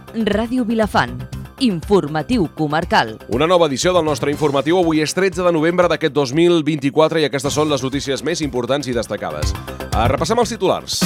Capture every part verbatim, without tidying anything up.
Ràdio Vilafant. Informatiu comarcal. Una nova edició del nostre informatiu. Avui és tretze de novembre d'aquest dos mil vint-i-quatre i aquestes són les notícies més importants i destacades. Repassem els titulars.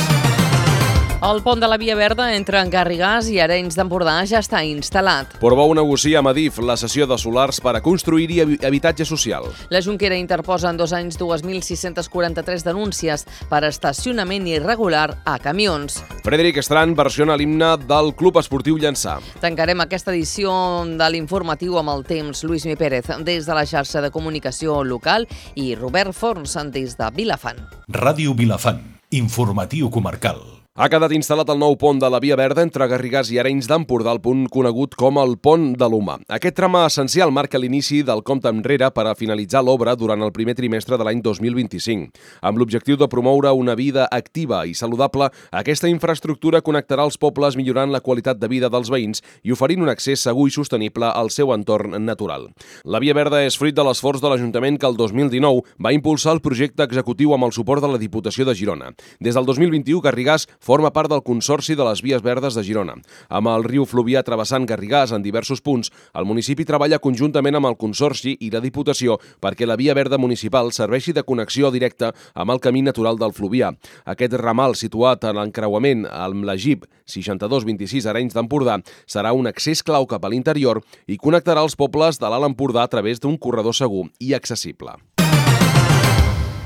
El pont de la Via Verda entre Garrigàs i Arenys d'Empordà ja està instal·lat. Portbou negocia amb Adif la cessió de solars per a construir-hi habitatge social. La Jonquera interposa en dos anys dos mil sis-cents quaranta-tres denúncies per estacionament irregular a camions. Frederic Estran versiona l'himne del Club Esportiu Llançà. Tancarem aquesta edició de l'informatiu amb el temps. Lluís Mi Pérez des de la xarxa de comunicació local i Robert Forns des de Vilafant. Ràdio Vilafant. Informatiu comarcal. Ha quedat instal·lat el nou pont de la Via Verda entre Garrigàs i Arenys d'Empordà, el punt conegut com el Pont de l'Humà. Aquest tram essencial marca l'inici del compte enrere per a finalitzar l'obra durant el primer trimestre de l'any dos mil vint-i-cinc. Amb l'objectiu de promoure una vida activa i saludable, aquesta infraestructura connectarà els pobles millorant la qualitat de vida dels veïns i oferint un accés segur i sostenible al seu entorn natural. La Via Verda és fruit de l'esforç de l'Ajuntament que el dos mil dinou va impulsar el projecte executiu amb el suport de la Diputació de Girona. Des del dos mil vint-i-u, Garrigàs forma part del Consorci de les Vies Verdes de Girona. Amb el riu Fluvià travessant Garrigàs en diversos punts, el municipi treballa conjuntament amb el Consorci i la Diputació perquè la Via Verda municipal serveixi de connexió directa amb el camí natural del Fluvià. Aquest ramal situat en l'encreuament amb la G I P seixanta-dos vint-i-sis Arenys d'Empordà serà un accés clau cap a l'interior i connectarà els pobles de l'Alt Empordà a través d'un corredor segur i accessible.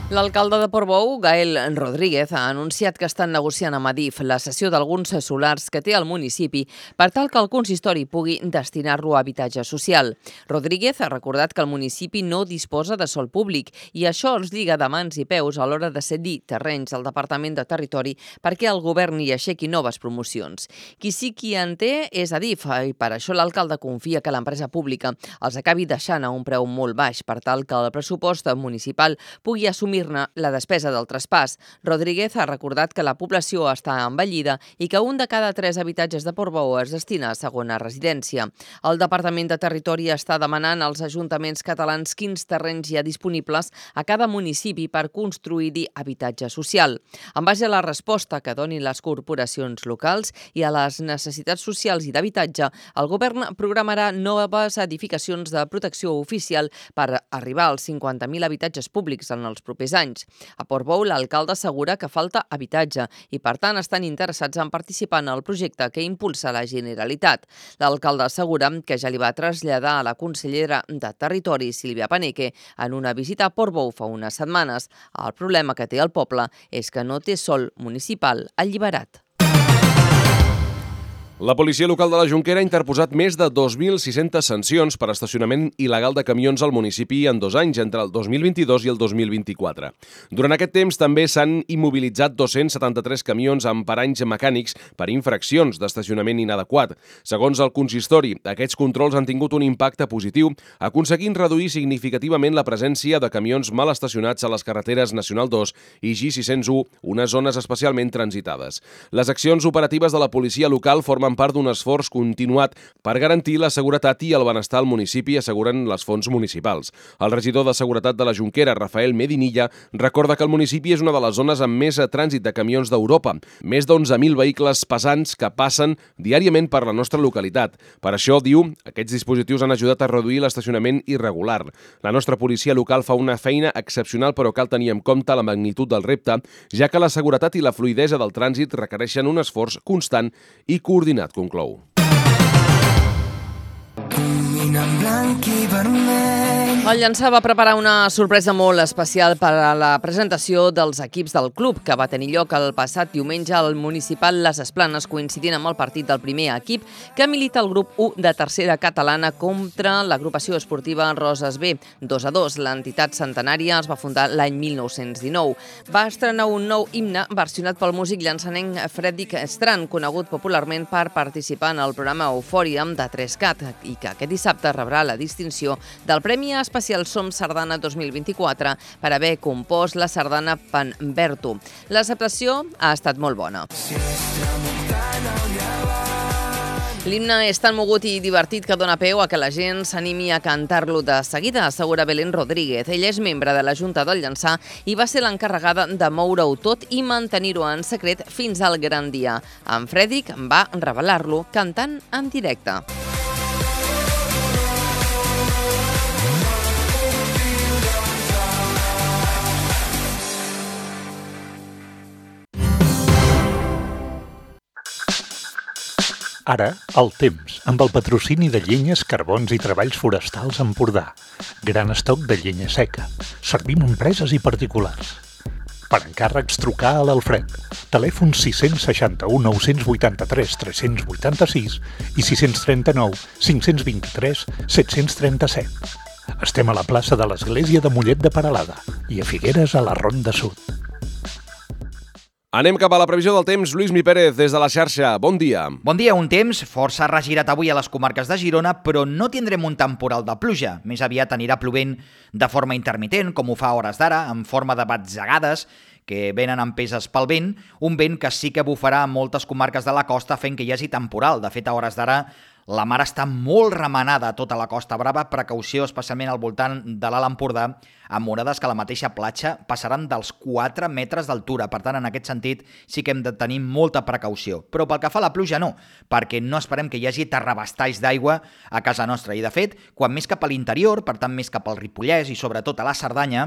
L'alcalde de Portbou, Gael Rodríguez, ha anunciat que estan negociant amb Adif la cessió d'alguns solars que té el municipi per tal que el consistori pugui destinar-lo a habitatge social. Rodríguez ha recordat que el municipi no disposa de sòl públic i això els lliga de mans i peus a l'hora de cedir terrenys al Departament de Territori perquè el govern hi aixequi noves promocions. Qui sí qui en té és Adif i per això l'alcalde confia que l'empresa pública els acabi deixant a un preu molt baix per tal que el pressupost municipal pugui assumir la despesa del traspàs. Rodríguez ha recordat que la població està envellida i que un de cada tres habitatges de Portbou es destina a segona residència. El Departament de Territori està demanant als ajuntaments catalans quins terrenys hi ha disponibles a cada municipi per construir-hi habitatge social. En base a la resposta que donin les corporacions locals i a les necessitats socials i d'habitatge, el govern programarà noves edificacions de protecció oficial per arribar als cinquanta mil habitatges públics en els propers anys. A Portbou, l'alcalde assegura que falta habitatge i, per tant, estan interessats en participar en el projecte que impulsa la Generalitat. L'alcalde assegura que ja li va traslladar a la consellera de Territori, Sílvia Paneque, en una visita a Portbou fa unes setmanes. El problema que té el poble és que no té sòl municipal alliberat. La policia local de la Jonquera ha interposat més de dos mil sis-centes sancions per estacionament il·legal de camions al municipi en dos anys, entre el dos mil vint-i-dos i el dos mil vint-i-quatre. Durant aquest temps també s'han immobilitzat dos-cents setanta-tres camions amb paranys mecànics per infraccions d'estacionament inadequat. Segons el consistori, aquests controls han tingut un impacte positiu, aconseguint reduir significativament la presència de camions mal estacionats a les carreteres Nacional dos i G sis-cents u, unes zones especialment transitades. Les accions operatives de la policia local formen part d'un esforç continuat per garantir la seguretat i el benestar al municipi, asseguren les fonts municipals. El regidor de Seguretat de la Jonquera, Rafael Medinilla, recorda que el municipi és una de les zones amb més trànsit de camions d'Europa, més d'onze mil vehicles pesants que passen diàriament per la nostra localitat. Per això, diu, aquests dispositius han ajudat a reduir l'estacionament irregular. La nostra policia local fa una feina excepcional, però cal tenir en compte la magnitud del repte, ja que la seguretat i la fluïdesa del trànsit requereixen un esforç constant i coordinat, conclou. El Llançà va preparar una sorpresa molt especial per a la presentació dels equips del club, que va tenir lloc el passat diumenge al municipal Les Esplanes, coincidint amb el partit del primer equip que milita el grup u de tercera catalana contra l'agrupació esportiva Roses B. dos a dos, l'entitat centenària es va fundar l'any mil nou-cents dinou. Va estrenar un nou himne versionat pel músic llançanenc Frederic Estran, conegut popularment per participar en el programa Eufòria de tres cat, i que aquest dissabte rebrà la distinció del Premi Especial Som Sardana dos mil vint-i-quatre per haver compost la sardana Panberto. L'acceptació ha estat molt bona. L'himne és tan mogut i divertit que dona peu a que la gent s'animi a cantar-lo de seguida, assegura Belén Rodríguez. Ella és membre de la Junta del Llançà i va ser l'encarregada de moure-ho tot i mantenir-ho en secret fins al gran dia. En Fredrik va revelar-lo cantant en directe. Ara, el temps, amb el patrocini de Llenyes, Carbons i Treballs Forestals Empordà. Gran estoc de llenya seca. Servim empreses i particulars. Per encàrrecs, trucar a l'Alfred. Telèfon sis seixanta-u, nou vuitanta-tres, tres vuitanta-sis i sis trenta-nou, cinc vint-i-tres, set trenta-set. Estem a la plaça de l'Església de Mollet de Peralada i a Figueres, a la Ronda Sud. Anem cap a la previsió del temps. Lluís Mi Pérez, des de la xarxa. Bon dia. Bon dia. Un temps força regirat avui a les comarques de Girona, però no tindrem un temporal de pluja. Més aviat anirà plovent de forma intermitent, com ho fa a hores d'ara, en forma de batzegades que venen empeses pel vent, un vent que sí que bufarà a moltes comarques de la costa fent que hi hagi temporal. De fet, a hores d'ara la mar està molt remenada a tota la Costa Brava, precaució especialment al voltant de l'Alt Empordà, amb onades que a la mateixa platja passaran dels quatre metres d'altura. Per tant, en aquest sentit, sí que hem de tenir molta precaució. Però pel que fa a la pluja, no, perquè no esperem que hi hagi terrabastalls d'aigua a casa nostra. I, de fet, quan més cap a l'interior, per tant, més cap al Ripollès i sobretot a la Cerdanya,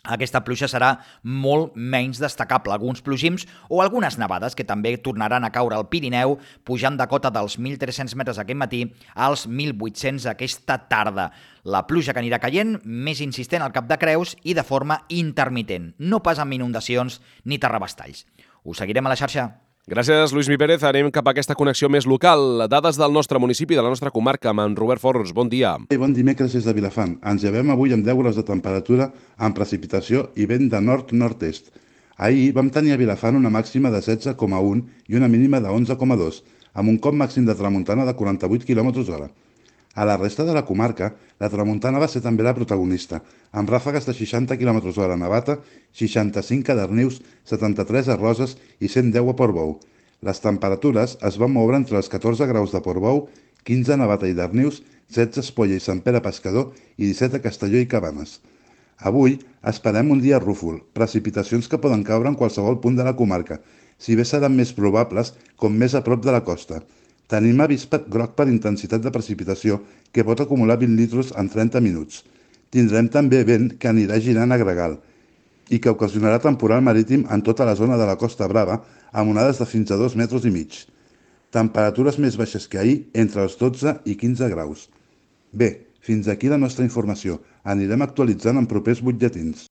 aquesta pluja serà molt menys destacable. Alguns plogims o algunes nevades que també tornaran a caure al Pirineu, pujant de cota dels mil tres-cents metres aquest matí als mil vuit-cents aquesta tarda. La pluja que anirà caient, més insistent al Cap de Creus i de forma intermitent, no pas amb inundacions ni terrabastalls. Us seguirem a la xarxa. Gràcies, Lluís Mi Pérez. Anem cap a aquesta connexió més local. Dades del nostre municipi, de la nostra comarca, amb en Robert Forns. Bon dia. Bon dimecres des de Vilafant. Ens llevem avui amb deu graus de temperatura, amb precipitació i vent de nord-nord-est. Ahir vam tenir a Vilafant una màxima de setze coma un i una mínima de onze coma dos, amb un cop màxim de tramuntana de quaranta-vuit quilòmetres hora. A la resta de la comarca, la tramuntana va ser també la protagonista, amb ràfegues de seixanta quilòmetres hora a Navata, seixanta-cinc a Darnius, setanta-tres a Roses i cent deu a Portbou. Les temperatures es van moure entre els catorze graus de Portbou, quinze a Navata i Darnius, setze a Espolla i Sant Pere Pescador i disset a Castelló i Cabanes. Avui esperem un dia rúfol, precipitacions que poden caure en qualsevol punt de la comarca, si bé seran més probables com més a prop de la costa. Tenim avís groc per intensitat de precipitació que pot acumular vint litres en trenta minuts. Tindrem també vent que anirà girant a gregal i que ocasionarà temporal marítim en tota la zona de la Costa Brava amb onades de fins a dos metres i mig. Temperatures més baixes que ahir, entre els dotze i quinze graus. Bé, fins aquí la nostra informació. Anirem actualitzant en propers butlletins.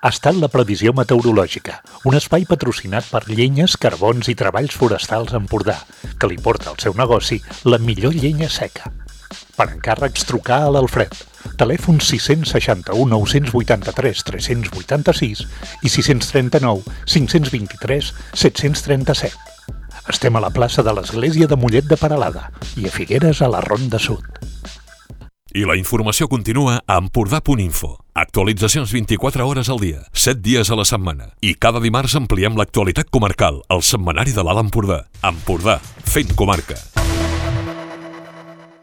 Ha estat la previsió meteorològica, un espai patrocinat per Llenyes, Carbons i Treballs Forestals Empordà, que li porta al seu negoci la millor llenya seca. Per encàrrecs, trucar a l'Alfred. Telèfon sis seixanta-u, nou vuitanta-tres, tres vuitanta-sis i sis trenta-nou, cinc vint-i-tres, set trenta-set. Estem a la plaça de l'Església de Mollet de Peralada i a Figueres, a la Ronda Sud. I la informació continua a empordà punt info. Actualitzacions vint-i-quatre hores al dia, set dies a la setmana. I cada dimarts ampliem l'actualitat comarcal, al setmanari de l'Alt Empordà. Empordà, fent comarca.